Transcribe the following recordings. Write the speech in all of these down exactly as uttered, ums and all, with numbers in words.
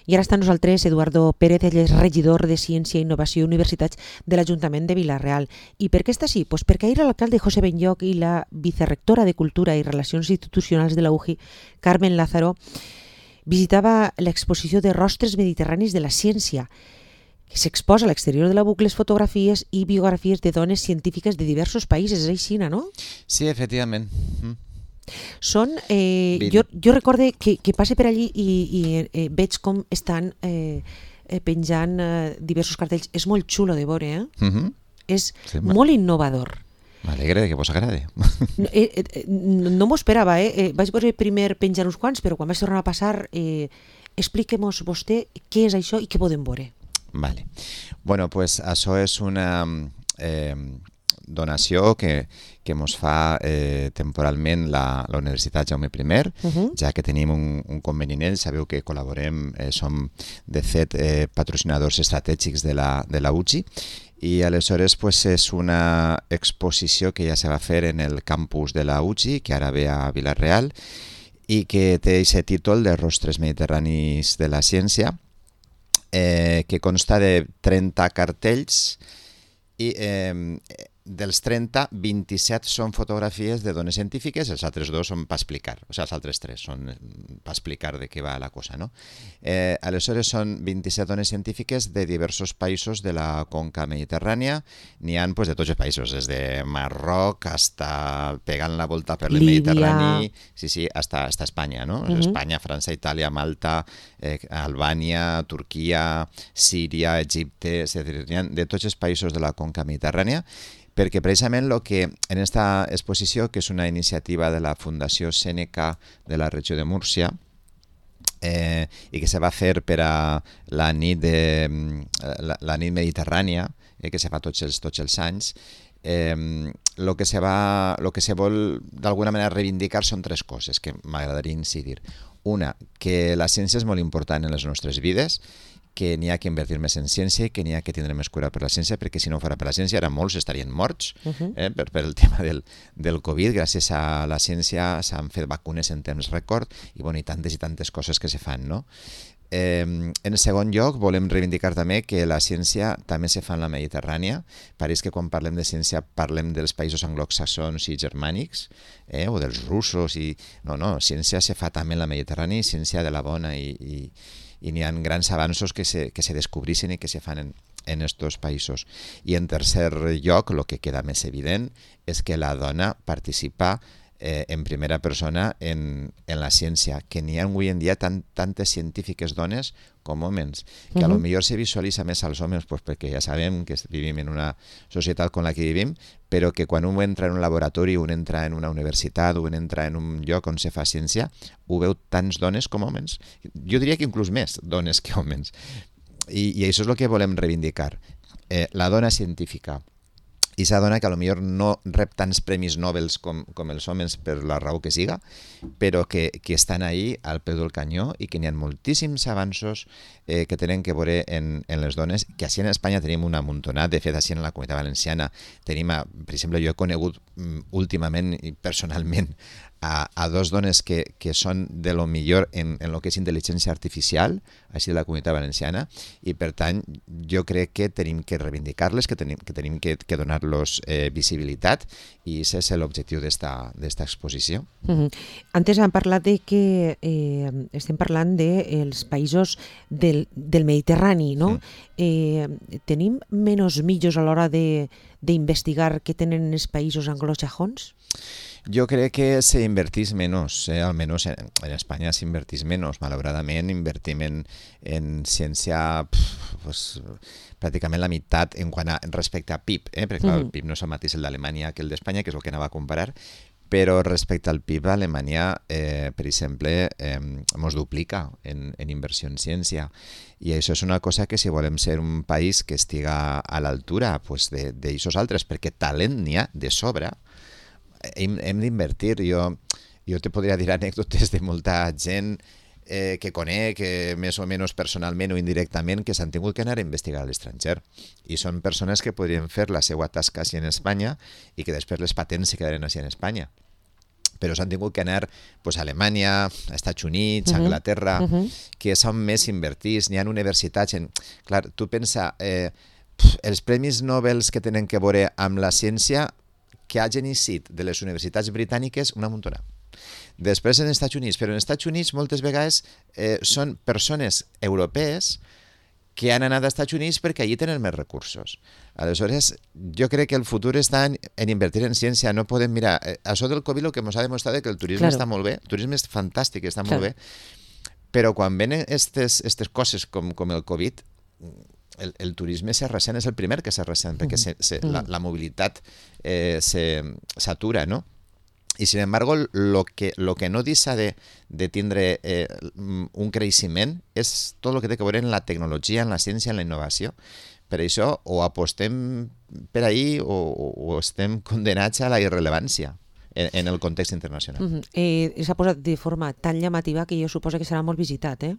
I ara està amb nosaltres Eduardo Pérez, ell és regidor de Ciència, Innovació i Universitats de l'Ajuntament de Vila-real. I per què està així? Pues perquè ahir l'alcalde José Benlloch i la vicerrectora de Cultura i Relacions Institucionals de la U J I, Carmen Lázaro, visitava l'exposició de Rostres Mediterranis de la Ciència, que s'exposa a l'exterior de la Buc les fotografies i biografies de dones científiques de diversos països. És així, no? Sí, efectivament. Mm. Són, eh, jo, jo recorde que, que passe per allí i, i eh, veig com estan eh, penjant eh, diversos cartells. És molt xulo de veure, eh? Mm-hmm. És sí, molt innovador. M'alegra que vos agrade. No, eh, eh, no m'ho esperava, eh? eh? Vaig veure primer penjar uns quants, però quan vaig tornar a passar, eh, expliquem-nos vostè què és això i què podem veure. Vale. Bueno, pues això és una eh, donació que, que mos fa eh, temporalment la, la Universitat Jaume I, uh-huh. ja que tenim un, un conveni en ell. Sabeu que col·laborem, eh, som de fet eh, patrocinadors estratègics de la, de la U J I, i aleshores pues, és una exposició que ja se va fer en el campus de la U J I, que ara ve a Vila-real, i que té aquest títol de Rostres Mediterranis de la Ciència, Eh, que consta de trenta cartells i eh, dels trenta, vint-i-set són fotografies de dones científiques, els altres dos són per explicar, o sigui, els altres tres són per explicar de què va la cosa, no? Eh, aleshores són vint-i-set dones científiques de diversos països de la conca mediterrània, n'hi ha pues, de tots els països, des de Marroc hasta pegant la volta per el Mediterrani, sí, sí, hasta, hasta Espanya, no? Uh-huh. Espanya, França, Itàlia, Malta, eh, Albània, Turquia, Síria, Egipte, és a dir, n'hi ha de tots els països de la conca mediterrània, perquè precisament el que en aquesta exposició, que és una iniciativa de la Fundació Sèneca de la regió de Múrcia, eh, i que se va fer per a la nit, de, la, la nit mediterrània, eh, que se fa tots els, tots els anys, eh, lo que se va, lo que se vol d'alguna manera reivindicar són tres coses que m'agradaria incidir. Una, que la ciència és molt important en les nostres vides, que n'hi ha que invertir més en ciència i que n'hi ha que tindre més cura per la ciència, perquè si no fora per la ciència ara molts estarien morts uh-huh. eh, per, per el tema del, del Covid. Gràcies a la ciència s'han fet vacunes en temps rècord i, bueno, i tantes i tantes coses que se fan, no? Eh, en segon lloc, volem reivindicar també que la ciència també se fa en la Mediterrània. Pareix que quan parlem de ciència parlem dels països anglosaxons i germànics, eh, o dels russos. I... No, no, ciència se fa també en la Mediterrània, ciència de la bona, i, i, i n'hi ha grans avanços que se, que se descobrissin i que se fan en, en estos països. I en tercer lloc, el que queda més evident és que la dona participa Eh, en primera persona en, en la ciència, que n'hi ha avui en dia tant, tantes científiques dones com homes, que uh-huh. a lo millor se visualitza més als homes pues, perquè ja sabem que vivim en una societat com la que vivim, però que quan un entra en un laboratori, un entra en una universitat, un entra en un lloc on se fa ciència, ho veu tants dones com homes. Jo diria que inclús més dones que homes. I, i això és el que volem reivindicar. Eh, la dona científica. I s'adona que a lo millor no rep tants premis Nobel com, com els homes per la raó que siga, però que, que estan ahí al peu del canyó i que n'hi ha moltíssims avanços eh, que tenen que veure en, en les dones, que així en Espanya tenim una muntonada. De fet, així en la Comunitat Valenciana tenim, a, per exemple, jo he conegut um, últimament i personalment a, a dos dones que, que són de lo millor en, en lo que és intel·ligència artificial, així de la Comunitat Valenciana, i per tant jo crec que tenim que reivindicar-les, que tenim que, tenim que, que donar-los eh, visibilitat, i aquest és l'objectiu d'esta exposició. Uh-huh. Antes hem parlat de que eh, estem parlant dels de països del, del Mediterrani, no? Mm. Eh, tenim menys mitjos a l'hora d'investigar què tenen els països anglosajons? Jo crec que s'invertís menys, eh? almenys en, en Espanya s'invertís menys. Malauradament invertim en, en ciència pf, pues, pràcticament la meitat en quant a respecte a P I B, eh? perquè clar, el P I B no és el mateix el d'Alemanya que el d'Espanya, que és el que anava a comparar, però respecte al P I B, Alemanya, eh, per exemple, eh, ens duplica en, en inversió en ciència. I això és una cosa que si volem ser un país que estiga a l'altura pues, d'aixòs altres, perquè talent n'hi ha de sobre, hem, hem d'invertir. Jo, jo te podria dir anècdotes de molta gent eh, que conec, eh, més o menys personalment o indirectament, que s'han tingut que anar a investigar a l'estranger. I són persones que podrien fer la seva tasca així en Espanya i que després les patents se quedaren així en Espanya. però s'han tingut que anar pues, a Alemanya, a Estats Units, a Anglaterra, uh -huh. que són més invertits, n'hi ha universitats... En... Clar, tu pensa, eh, pf, els premis Nobel que tenen que veure amb la ciència que hagin eixit de les universitats britàniques una muntona. Després en Estats Units, però en Estats Units moltes vegades eh, són persones europees que han anat als Estats Units perquè allí tenen més recursos. Aleshores, jo crec que el futur està en, en invertir en ciència. No podem mirar... Eh, això del Covid el que ens ha demostrat que el turisme claro. està molt bé, el turisme és fantàstic, està claro. molt bé, però quan venen aquestes coses com, com el Covid, el, el turisme se ressent, és el primer que se ressent, perquè se, se, la, la mobilitat eh, s'atura, no? I, sin embargo, lo que, lo que no deixa de, de tindre eh, un creixement és tot el que té que veure en la tecnologia, en la ciència, en la innovació. Per això, o apostem per ahí o, o estem condenats a la irrellevància en, en el context internacional. Uh -huh. eh, S'ha posat de forma tan llamativa que jo suposo que serà molt visitat, eh?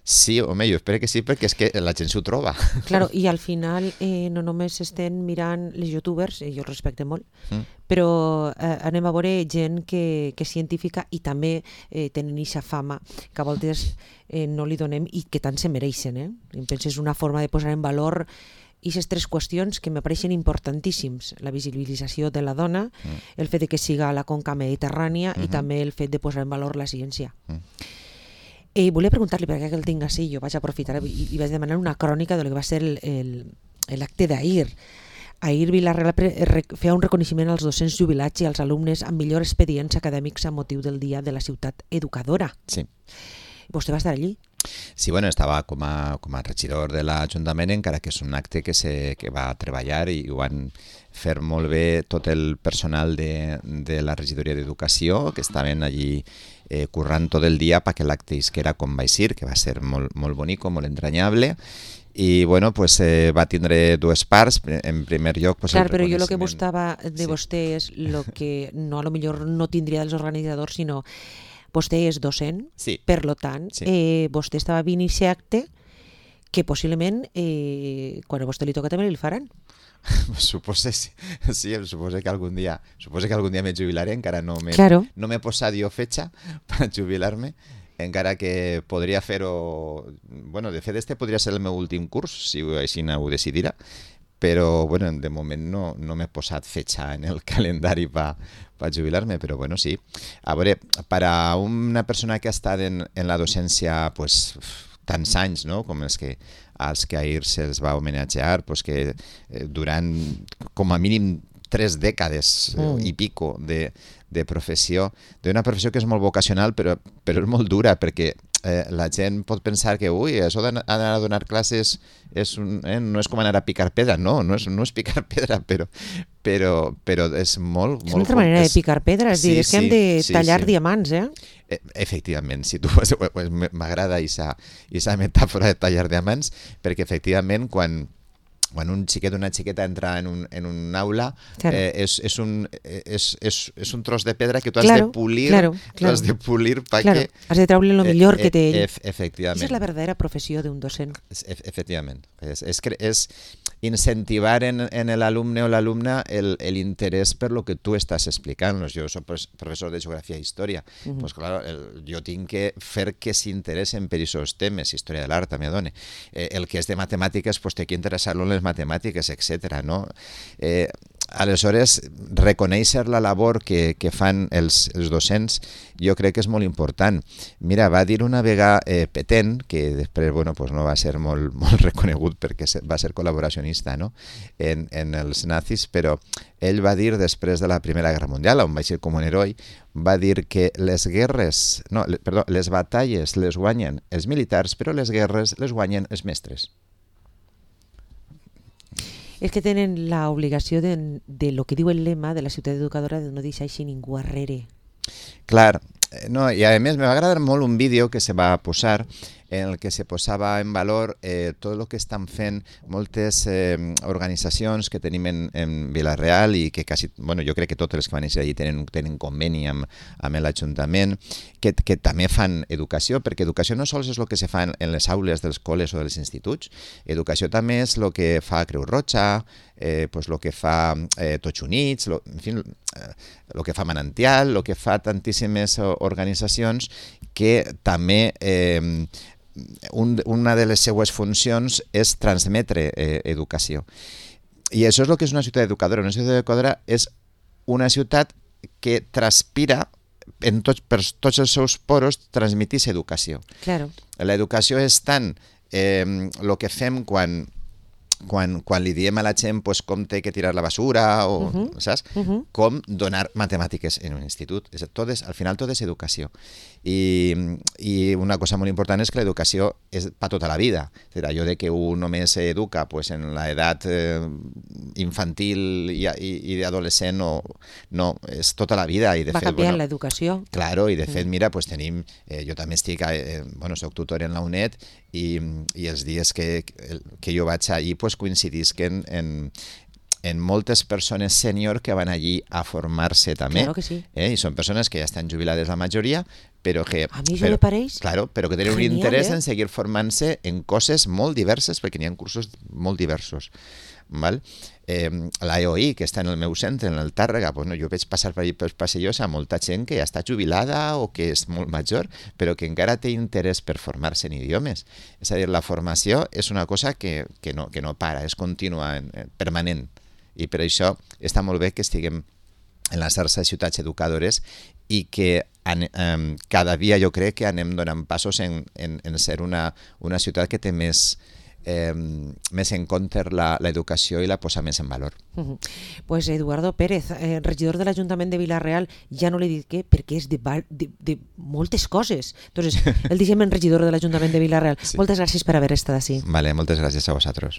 Sí, home, jo espero que sí, perquè és que la gent s'ho troba. Claro, i al final eh, no només estem mirant les youtubers, eh, jo els respecte molt, mm. però eh, anem a veure gent que, que és científica i també eh, tenen aquesta fama que a voltes eh, no li donem i que tant se mereixen. Eh? Em penso, és una forma de posar en valor aquestes tres qüestions que me pareixen importantíssims: la visibilització de la dona, mm. el fet de que siga a la conca mediterrània mm-hmm. i també el fet de posar en valor la ciència. Mm. Eh, volia preguntar-li, perquè el tinc així, jo vaig aprofitar i, i vaig demanar una crònica de lo que va ser l'acte d'ahir. Ahir Vila-real feia un reconeixement als docents jubilats i als alumnes amb millors expedients acadèmics a motiu del Dia de la Ciutat Educadora. Sí. Vostè va estar allí? Sí, bueno, estava com a, com a regidor de l'Ajuntament, encara que és un acte que, se, que va treballar i ho van fer molt bé tot el personal de, de la regidoria d'Educació, que estaven allí eh, currant tot el dia perquè l'acte isquera com va eixir, que va ser molt, molt bonico, molt entranyable. I bueno, pues eh, va tindre dues parts. En primer lloc, pues, clar, el però jo el que buscava de sí. vostè és el que no, a lo millor no tindria dels organitzadors, sinó vostè és docent, sí. per lo tant, sí. eh, vostè estava vint aquest acte que possiblement eh, quan a vostè li toca també li faran. Suposo, sí, sí, suposo que algun dia suposo que algun dia me jubilaré, encara no m'he claro. no m'he posat jo fetxa per jubilar-me, encara que podria fer-ho... Bueno, de fet, este podria ser el meu últim curs, si així ho decidirà, però bueno, de moment no, no m'he posat fetxa en el calendari per pa jubilar-me, però bueno, sí. A veure, per a una persona que ha estat en, en la docència pues, tants anys, no?, com els que, als que ahir se'ls va homenatjar, pues que eh, durant com a mínim tres dècades mm. i pico de, de professió, d'una professió que és molt vocacional, però, però és molt dura, perquè eh, la gent pot pensar que ui, això d'anar a donar classes és un, eh, no és com anar a picar pedra, no, no és, no és picar pedra, però, però, però és molt... És molt, una altra manera és... de picar pedra, és, sí, dir, és que sí, hem de sí, tallar sí. diamants, eh? eh? Efectivament, si tu pues, pues, m'agrada aquesta metàfora de tallar diamants, perquè efectivament quan quan un xiquet o una xiqueta entra en un, en un aula, claro. eh, és, és, un, és, és, és un tros de pedra que tu has claro, de polir, claro, claro. has de polir perquè... Claro. Has de treure el millor eh, que té ell. Ef, efectivament. Aquesta és la verdadera professió d'un docent. E efectivament. És, és, és incentivar en, en l'alumne o l'alumna l'interès per lo que tu estàs explicant. Jo soc professor de geografia i història. Uh -huh. Pues, claro, el, jo tinc que fer que s'interessen per aquests temes, història de l'art també dona. Eh, el que és de matemàtiques, pues, té que interessar-lo en les matemàtiques, etcètera. No? Eh, aleshores, reconèixer la labor que, que fan els, els docents jo crec que és molt important. Mira, va dir una vegada eh, Petén, que després bueno, pues no va ser molt, molt reconegut perquè va ser col·laboracionista, no? en, en els nazis, però ell va dir després de la Primera Guerra Mundial, on va ser com un heroi, va dir que les guerres, no, perdó, les batalles les guanyen els militars, però les guerres les guanyen els mestres. És que tenen l'obligació de, de lo que diu el lema de la ciutat educadora de no deixar així ningú arrere. Clar, no, i a més me va agradar molt un vídeo que se va posar en el que se posava en valor eh, tot el que estan fent moltes eh, organitzacions que tenim en, en Vila-real i que quasi, bueno, jo crec que totes les que van néixer allí tenen, tenen conveni amb, amb l'Ajuntament, que, que també fan educació, perquè educació no sols és el que se fa en, en les aules dels col·les o dels instituts, educació també és el que fa Creu Roja, eh, pues lo que fa eh, Tots Units, lo, en fi, el que fa Manantial, el que fa tantíssimes organitzacions que també eh, un, una de les seues funcions és transmetre eh, educació. I això és el que és una ciutat educadora. Una ciutat educadora és una ciutat que transpira en tots, per tots els seus poros transmitís educació. Claro. L'educació és tant eh, el que fem quan, quan, quan li diem a la gent pues, com té que tirar la basura, o, uh-huh. saps? Uh-huh. Com donar matemàtiques en un institut. És, tot és, al final tot és educació. I, I una cosa molt important és que l'educació és per tota la vida. És dir, allò de que un només s'educa pues, en l'edat eh, infantil i, i, i adolescent, no, no, és tota la vida. I de Va fet, canviant bueno, l'educació. Claro, i de fet, mira, pues tenim, eh, jo també estic, eh, bueno, soc tutor en la UNED i, i els dies que, que jo vaig allí pues, coincidisquen en, en moltes persones sènior que van allí a formar-se també. Claro que sí. Eh? I són persones que ja estan jubilades la majoria, però que... A mi això però, me pareix claro, però que tenen genial, un interès eh? en seguir formant-se en coses molt diverses, perquè n'hi ha cursos molt diversos. Val? Eh, la E O I, que està en el meu centre, en el Tàrrega, pues, no, jo veig passar per allà pels passeillos a molta gent que ja està jubilada o que és molt major, però que encara té interès per formar-se en idiomes. És a dir, la formació és una cosa que, que, no, que no para, és contínua, permanent. I per això està molt bé que estiguem en la xarxa de ciutats educadores i que an, um, cada dia jo crec que anem donant passos en, en, en ser una, una ciutat que té més, eh, més en compte l'educació i la posa més en valor. Uh-huh. Pues Eduardo Pérez, eh, regidor de l'Ajuntament de Vila-real, ja no l'he dit què, perquè és de, de, de moltes coses. Entonces, el deixem en regidor de l'Ajuntament de Vila-real. Sí. Moltes gràcies per haver estat així. Vale, moltes gràcies a vosaltres.